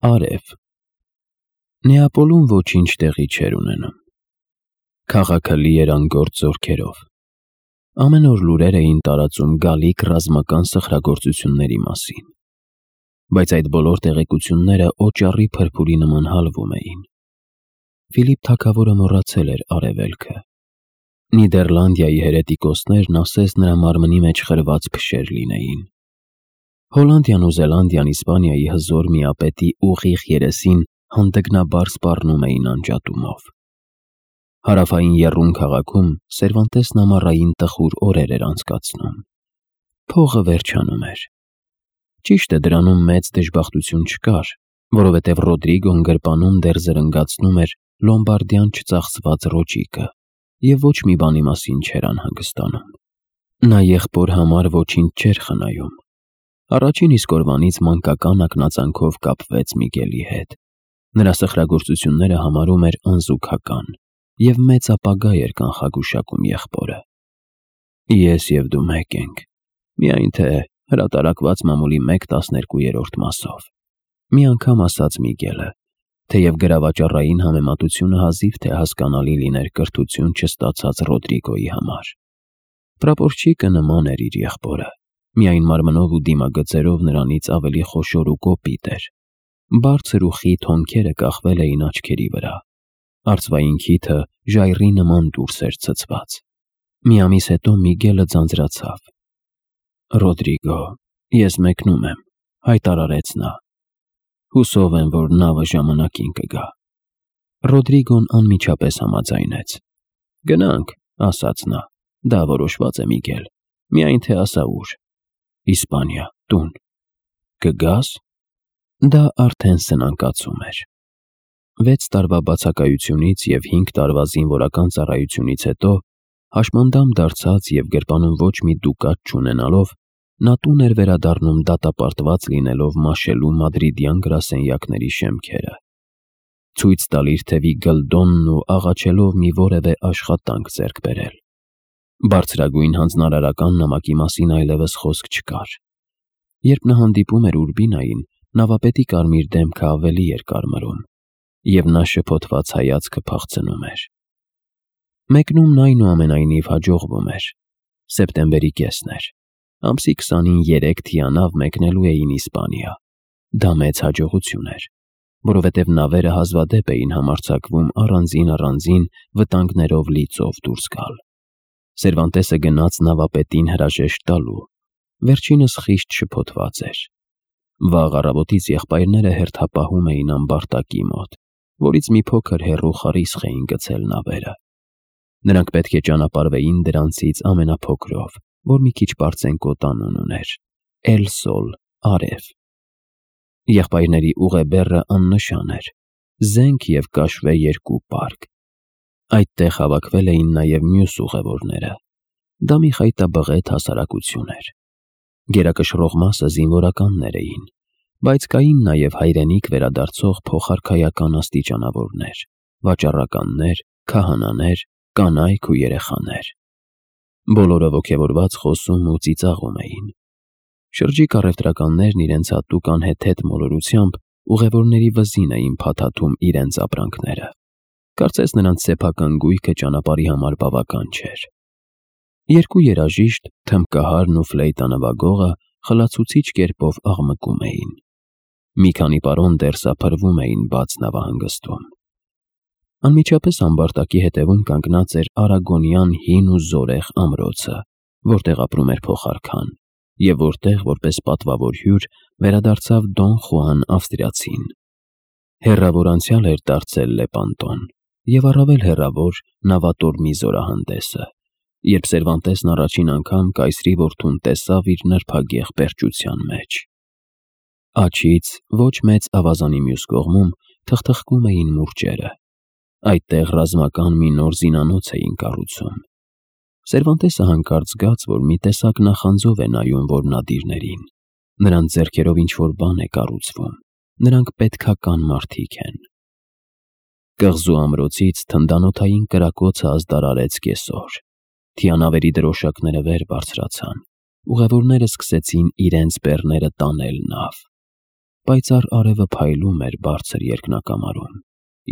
Արև։ Նեապոլում ոչինչ տեղի չէր ունենում։ Քաղաքը լի էր անգործ զորքերով։ Ամեն օր լուրեր էին տարածում գալիք ռազմական սխրագործությունների մասին։ Բայց այդ բոլոր տեղեկությունները օճառի փրփուրի նման հալվում էին։ Ֆիլիպ թագավորը մոռացել էր արևելքը։ Նիդերլանդիայի հերետիկոսներն ասես նրա մարմնի մեջ խրված փշեր լինեին։ Հոլանդիան ու Զելանդիան Իսպանիայի հզոր միապետի ուղիղ երեսին հանդգնաբար սպառնում էին անջատումով։ Հարավային եռում քաղաքում Սերվանտեսն ամառային տխուր օրեր էր անցկացնում։ Փողը վերջանում էր։ Ճիշտ է, դրանում մեծ դժբախտություն չկար, որովհետև Ռոդրիգոն գրպանում դեռ զրնգացնում էր լոմբարդյան չծախսված ռոճիկը և ոչ մի բանի մասին չէր անհանգստանում։ Նա եղբոր համար ոչինչ չէր խնայում։ Առաջին իսկ օրվանից մանկական ակնածանքով կապվեց Միգելի հետ։ Նրա սխրագործությունները համարում էր անզուգական և մեծ ապագա էր կանխագուշակում եղբորը։ Ես և դու մեկ ենք, միայն թե հրատարակված մամուլի 1/12 մասով, մի անգամ ասաց Միգելը, թեև գրավաճառային համեմատությունը հազիվ թե հասկանալի լիներ կրթություն չստացած Ռոդրիգոյի համար։ Պրապորչիկը նման էր իր եղբորը, միայն մարմնով ու դիմագծերով նրանից ավելի խոշոր ու կոպիտ էր։ Բարձր ու խիտ հոնքերը կախվել էին աչքերի վրա։ Արծվային քիթը ժայռի նման դուրս էր ցցված։ Մի ամիս հետո Միգելը ձանձրացավ։ «Ռոդրիգո, ես մեկնում եմ», հայտարարեց նա։ «Հուսով եմ, որ նավը ժամանակին կգա»։ Ռոդրիգոն անմիջապես համաձայնեց։ «Գնանք», ասաց նա, «դա որոշված է, Միգել, միայն թե ասա ուր»։ «Իսպանիա, տուն»։ «Կգա՞ս»։ Դա արդեն սնանկացում էր։ 6 տարվա բացակայությունից և 5 տարվա զինվորական ծառայությունից հետո, հաշմանդամ դարձած և գրպանում ոչ մի դուկատ չունենալով, նա տուն էր վերադառնում դատապարտված լինելով մաշելու մադրիդյան գրասենյակների շեմքերը, ցույց տալ իր թևի գլդոնն ու աղաչելով մի որևէ աշխատանք ձեռք բերել։ Բարձրագույն հանձնարարական նամակի մասին այլևս խոսք չկար։ Երբ նա հանդիպում էր Ուրբինային, նավապետի կարմիր դեմքը ավելի էր կարմրում, և նա շփոթված հայացքը փախցնում էր։ Մեկնումն այնուամենայնիվ հաջողվում էր։ Սեպտեմբերի կեսն էր։ Ամսի 20-ին 3 թիանավ մեկնելու էին Իսպանիա։ Դա մեծ հաջողություն էր, որովհետև նավերը հազվադեպ էին համարձակվում առանձին վտանգներով լի ծով դուրս գալ։ Սերվանտեսը գնաց նավապետին հրաժեշտ տալու։ Վերջինս խիստ շփոթված էր։ Վաղ առավոտից եղբայրները հերթապահում էին ամբարտակի մոտ, որից մի փոքր հեռու խարիսխ էին գցել նավերը։ Նրանք պետք է ճանապարհվեին դրանցից ամենափոքրով, որ մի քիչ պարծենկոտ անուն ուներ՝ Էլ Սոլ, արև։ Եղբայրների ուղեբեռը աննշան էր, զենք և կաշվե 2 պարկ։ Այդտեղ հավաքվել էին նաև մյուս ուղևորները։ Դա մի խայտաբղետ հասարակություն էր։ Գերակշռող մասը զինվորականներ էին, բայց կային նաև հայրենիք վերադարձող փոխարքայական աստիճանավորներ, վաճառականներ, քահանաներ, կանայք ու երեխաներ։ Բոլորը ոգևորված խոսում ու ծիծաղում էին։ Շրջիկ առևտրականներն իրենց հատուկ անհեթեթ մոլորությամբ ուղևորների վզին էին փաթաթում իրենց ապրանքները։ Կարծես նրանց սեփական գույքը ճանապարհի համար բավական չէր։ 2 երաժիշտ, թմբկահարն ու ֆլեյտա նվագողը խլացուցիչ կերպով աղմկում էին։ Մի քանի պարոն դեռ սափրվում էին բաց նավահանգստում։ Անմիջապես ամբարտակի հետևում կանգնած էր արագոնյան հին ու զորեղ ամրոցը, որտեղ ապրում էր փոխարքան, և որտեղ, որպես պատվավոր հյուր, վերադարձավ Դոն Խուան ավստրիացին։ Հեռավոր անցյալ էր դարձել Լեպանտոն, և առավել հեռավոր նավատորմի զորահանդեսը, երբ Սերվանտեսն առաջին անգամ կայսրի որդուն տեսավ իր նրբագեղ պերճության մեջ։ Աջից ոչ մեծ ավազանի մյուս կողմում թխթխկում էին մուրճերը։ Այդտեղ ռազմական մի նոր զինանոց էին կառուցում։ Սերվանտեսը հանկարծ զգաց, որ մի տեսակ նախանձով է նայում որմնադիրներին։ Նրանց ձեռքերով ինչ-որ բան է կառուցվում։ Նրանք պետքական մարդիկ են։ Կղզու ամրոցից թնդանոթային կրակոցը ազդարարեց կեսօր։ Թիանավերի դրոշակները վեր բարձրացան։ Ուղևորները սկսեցին իրենց բեռները տանել նավ։ պայծառ արևը փայլում էր բարձր երկնակամարում,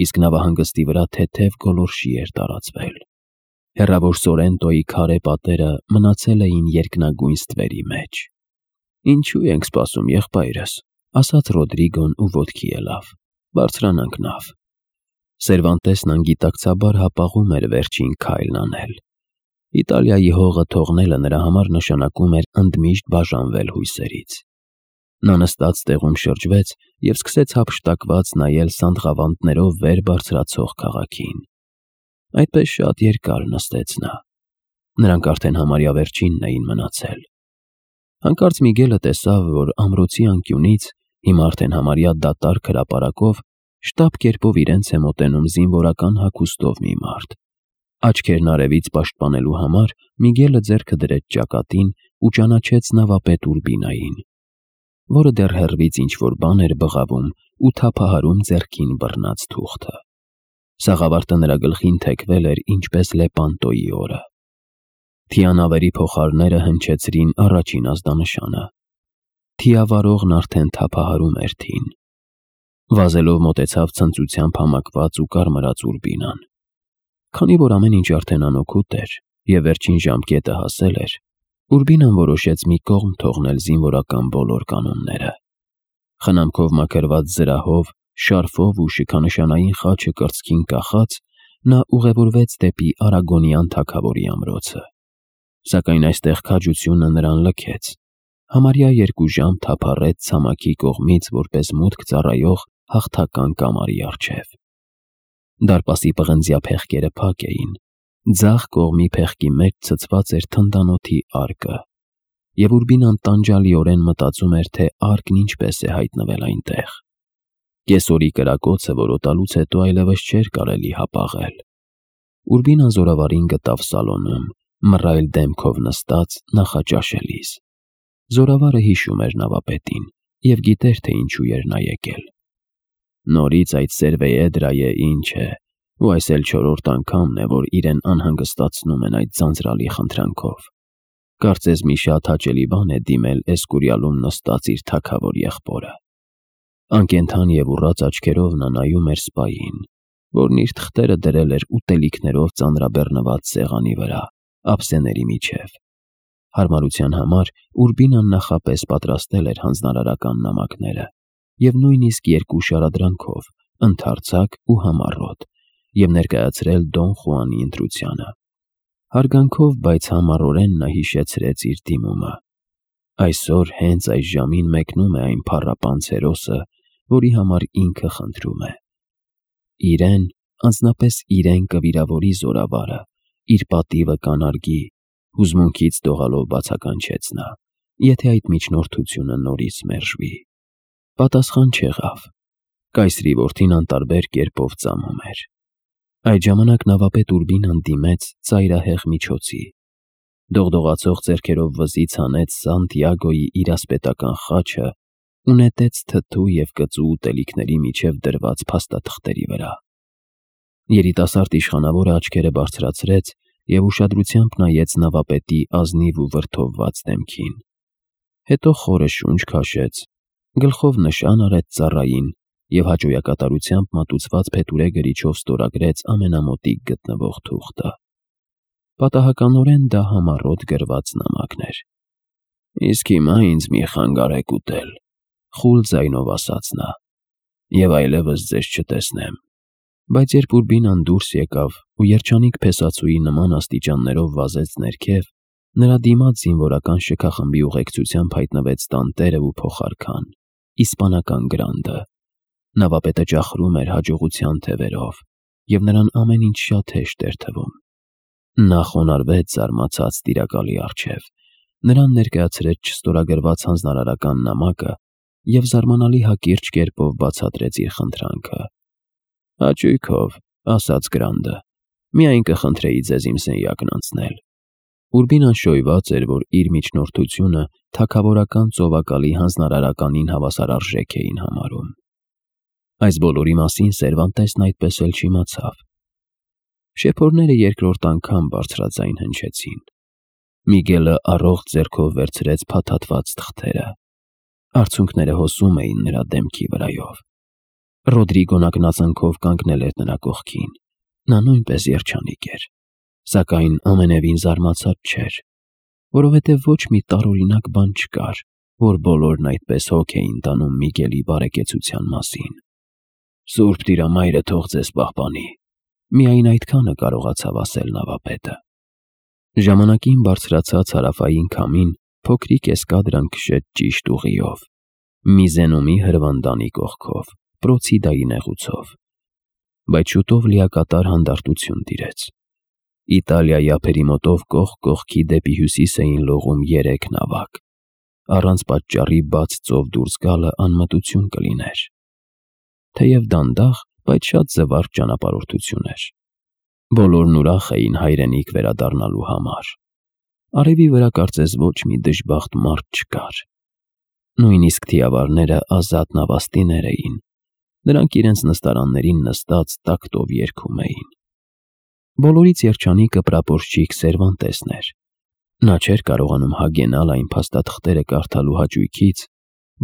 իսկ նավահանգստի վրա թեթև գոլորշի էր տարածվել։ Հեռավոր Սորենտոյի քարե պատերը մնացել էին երկնագույն ստվերի մեջ։ «Ինչու ենք սպասում, եղբայրս», ասաց Ռոդրիգոն ու ոտքի ելավ։ «Բարձրանանք նավ»։ Սերվանտեսն անգիտակցաբար հապաղում էր վերջին քայլն անել։ Իտալիայի հողը թողնելը նրա համար նշանակում էր ընդմիշտ բաժանվել հույսերից։ Նա նստած տեղում շրջվեց և սկսեց հափշտակված նայել սանդղավանդներով վեր բարձրացող քաղաքին։ Այդպես շատ երկար նստեց նա։ Նրանք արդեն համարյա վերջինն էին մնացել։ Հանկարծ Միգելը տեսավ, որ ամրոցի անկյունից, հիմա արդեն համարյա դատարկ հրապարակով, շտապ կերպով իրենց է մոտենում զինվորական հագուստով մի մարդ։ Աչքերն արևից պաշտպանելու համար Միգելը ձեռքը դրեց ճակատին ու ճանաչեց նավապետ Ուրբինային, որը դեռ հեռվից ինչ-որ բան էր բղավում ու թափահարում ձեռքին բռնած թուղթը։ Սաղավարտը նրա գլխին թեքվել էր ինչպես Լեպանտոյի օրը։ Թիանավերի փոխարները հնչեցրին առաջին ազդանշանը։ Թիավարողն արդեն թափահարում էր թին։ Վազելով մոտեցավ ցնծությամբ համակված ու կարմրած Ուրբինան։ Քանի որ ամեն ինչ արդեն անօգուտ էր և վերջին ժամկետը հասել էր, Ուրբինան որոշեց մի կողմ թողնել զինվորական բոլոր կանոնները։ Խնամքով մաքրված զրահով, շարֆով ու շքանշանային խաչը կրծքին կախած, նա ուղևորվեց դեպի Արագոնյան թագավորի ամրոցը։ Սակայն այստեղ քաջությունը նրան լքեց։ Համարյա 2 ժամ թափառեց ցամաքի կողմից որպես մուտք ծառայող հաղթական կամարի առջև։ Դարպասի պղնձյա փեղկերը փակ էին, ձախ կողմի փեղկի մեջ ցցված էր թնդանոթի արկը, և Ուրբինան տանջալիորեն մտածում էր, թե արկն ինչպես է հայտնվել այնտեղ։ Կեսօրի կրակոցը որոտալուց հետո այլևս չէր կարելի հապաղել։ Ուրբինան զորավարին գտավ սալոնում, մռայլ դեմքով նստած նախաճաշելիս։ Զորավարը հիշում էր նավապետին և գիտեր, թե ինչու էր նա եկել։ Նորից այդ Սերվեեդրայը ինչ է, ու այս էլ 4-րդ անգամն է, որ իրեն անհանգստացնում են այդ ձանձրալի խնդրանքով։ Կարծես մի շատ հաճելի բան է դիմել Էսկուրիալում նստած իր թագավոր եղբորը։ Անկենդան և ուռած աչքերով նա նայում էր սպային, որն իր թղթերը դրել էր ուտելիքներով ծանրաբեռնված սեղանի վրա, ափսեների միջև։ Հարմարության համար Ուրբինան նախապես պատրաստել էր հանձնարարական նամակները և նույնիսկ 2 շարադրանքով, ընդարձակ ու համառոտ, և ներկայացրել Դոն Խուանի ընտրությանը։ Հարգանքով, բայց համառորեն նա հիշեցրեց իր դիմումը։ Այսօր հենց այս ժամին մեկնում է այն փառապանծ հերոսը, որի համար ինքը խնդրում է։ Իրեն, անձնապես իրեն կվիրավորի զորավարը, իր պատիվը կանարգի, հուզմունքից դողալով բացականչեց նա, եթե այդ միջնորդությունը նորից մերժվի։ Պատասխան չեղավ։ Կայսրի որդին անտարբեր կերպով ծամում էր։ Այդ ժամանակ նավապետ Ուրբինան դիմեց ծայրահեղ միջոցի։ Դողդողացող ձեռքերով վզից հանեց Սանտիագոյի իրասպետական խաչը ու նետեց թթու և կծու ուտելիքների միջև դրված փաստաթղթերի վրա։ Երիտասարդ իշխանավորը աչքերը բարձրացրեց և ուշադրությամբ նայեց նավապետի ազնիվ ու վրդովված դեմքին։ Հետո խորը շունչ քաշեց, գլխով նշան արեց ծառային և հաճոյակատարությամբ մատուցված փետուրե գրիչով ստորագրեց ամենամոտիկ գտնվող թուղթը։ Պատահականորեն դա համառոտ գրված նամակն էր։ «Իսկ հիմա ինձ մի խանգարեք ուտել», խուլ ձայնով ասաց նա, «և այլևս ձեզ չտեսնեմ»։ Բայց երբ Ուրբինան դուրս եկավ ու երջանիկ փեսացուի նման աստիճաններով վազեց ներքև, նրա դիմաց զինվորական շքախմբի ուղեկցությամբ հայտնվեց տանտերը ու փոխարքան, իսպանական գրանդը։ Նավապետը ճախրում էր հաջողության թևերով, և նրան ամեն ինչ շատ հեշտ էր թվում։ Նա խոնարհվեց զարմացած տիրակալի առջև, նրան ներկայացրեց չստորագրված հանձնարարական նամակը և զարմանալի հակիրճ կերպով բացատրեց իր խնդրանքը։ «Հաճույքով», ասաց Գրանդը, «միայն կխնդրեի ձեզ իմ սենյակն անցնել»։ Ուրբինան շոյված էր, որ իր միջնորդությունը թագավորական ծովակալի հանձնարարականին հավասարարժեք էին համարում։ Այս բոլորի մասին Սերվանտեսն այդպես էլ չիմացավ։ Շեփորները 2-րդ անգամ բարձրաձայն հնչեցին։ Միգելը առողջ ձեռքով վերցրեց փաթաթված թղթերը։ Արցունքները հոսում էին նրա դեմքի վրայով։ Ռոդրիգոն ակնածանքով կանգնել էր նրա կողքին։ Նա նույնպես երջանիկ էր, սակայն ամենևին զարմացած չէր, որովհետև ոչ մի տարօրինակ բան չկար, որ բոլորն այդպես հոգ էին տանում Միգելի բարեկեցության մասին։ «Սուրբ Տիրամայրը թող ձեզ պահպանի», միայն այդքանը կարողացավ ասել նավապետը։ Ժամանակին բարձրացած հարավային քամին փոքրիկ էսկադրան քշեց ճիշտ ուղիով, Միզենումի հրվանդանի կողքով, Պրոցիդայի նեղուցով։ Բայց շուտով լիակատար հանդարտություն տիրեց։ Իտալիայի ափերի մոտով կողք կողքի դեպի հյուսիս էին լողում 3 նավակ։ Առանց պատճառի բաց ծով դուրս գալը անմտություն կլիներ։ Թեև դանդաղ, բայց շատ զվարճ ճանապարհորդություն էր։ Բոլորն ուրախ էին հայրենիք վերադառնալու համար։ Արևի վրա կարծես ոչ մի դժբախտ մարդ չկար։ Նույնիսկ թիավարները ազատ նավաստիներ էին։ Նրանք իրենց նստարաններին նստած տակտով երգում էին։ Բոլորից երջանիկը պրապորչիկ Սերվանտեսն էր։ Նա չէր կարողանում հագենալ այն փաստաթղթերը կարդալու հաճույքից,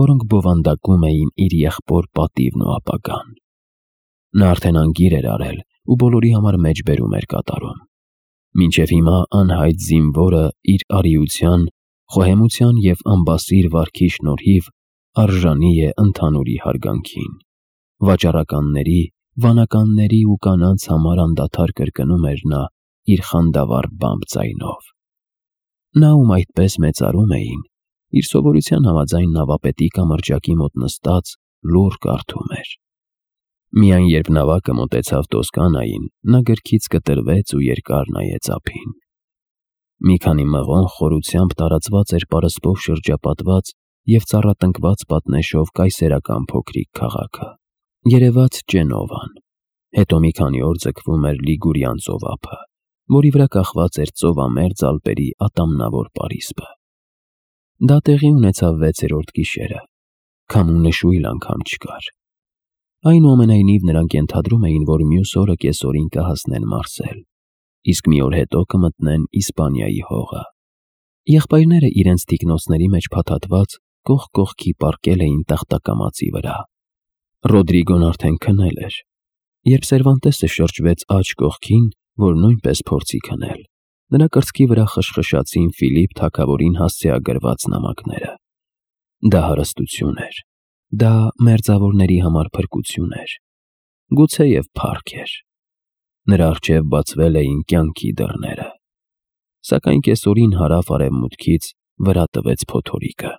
որոնք բովանդակում էին իր եղբոր պատիվն ու ապագան։ Նա արդեն անգիր էր արել ու բոլորի համար մեջբերում էր կատարում։ Մինչև հիմա անհայտ զինվորը իր արիության, խոհեմության և ամբասիր վարքի շնորհիվ արժանի է ընդհանուրի հարգանքին։ Վաճառականների, վանականների ու կանանց համար անդադար կրկնում էր նա իր խանդավառ բամբ ձայնով։ Նա, ում այդպես մեծարում էին, իր սովորության համաձայն նավապետի կամրջակի մոտ նստած լուռ կարդում էր։ Միայն երբ նավակը մոտեցավ Տոսկանային, նա գրքից կտրվեց ու երկար նայեց ափին։ Մի քանի մղոն խորությամբ տարածված էր պարսպով շրջապատված և ծառատնկված պատնեշով կայսերական փոքրիկ քաղաքը։ Երևաց Ջենովան, հետո մի քանի օր ձգվում էր Լիգուրիան ծովափը, որի վրա կախված էր ծովամերձ Ալպերի ատամնավոր պարիսպը։ Դա տեղի ունեցավ 6-րդ գիշերը։ Քամու նշույլ անգամ չկար։ Այնուամենայնիվ նրանք ենթադրում էին, որ մյուս օրը կեսօրին կհասնեն Մարսել, իսկ մի օր հետո կմտնեն Իսպանիայի հողը։ Եղբայրները իրենց թիկնոցների մեջ փաթաթված կողք կողքի պառկել էին տախտակամածի վրա։ Ռոդրիգոն արդեն քնել էր, երբ Սերվանտեսը շրջվեց աջ կողքին, որ նույնպես փորձի քնել։ Նրա կրծքի վրա խշխշացին Ֆիլիպ թագավորին հասցեագրված նամակները։ Դա հարստություն էր։ Դա մերձավորների համար փրկություն էր։ Գուցեև փառք էր։ Նրա առջև բացվել էին կյանքի դռները։ Սակայն կեսօրին հարավ արևմուտքից վրա տվեց փոթորիկը։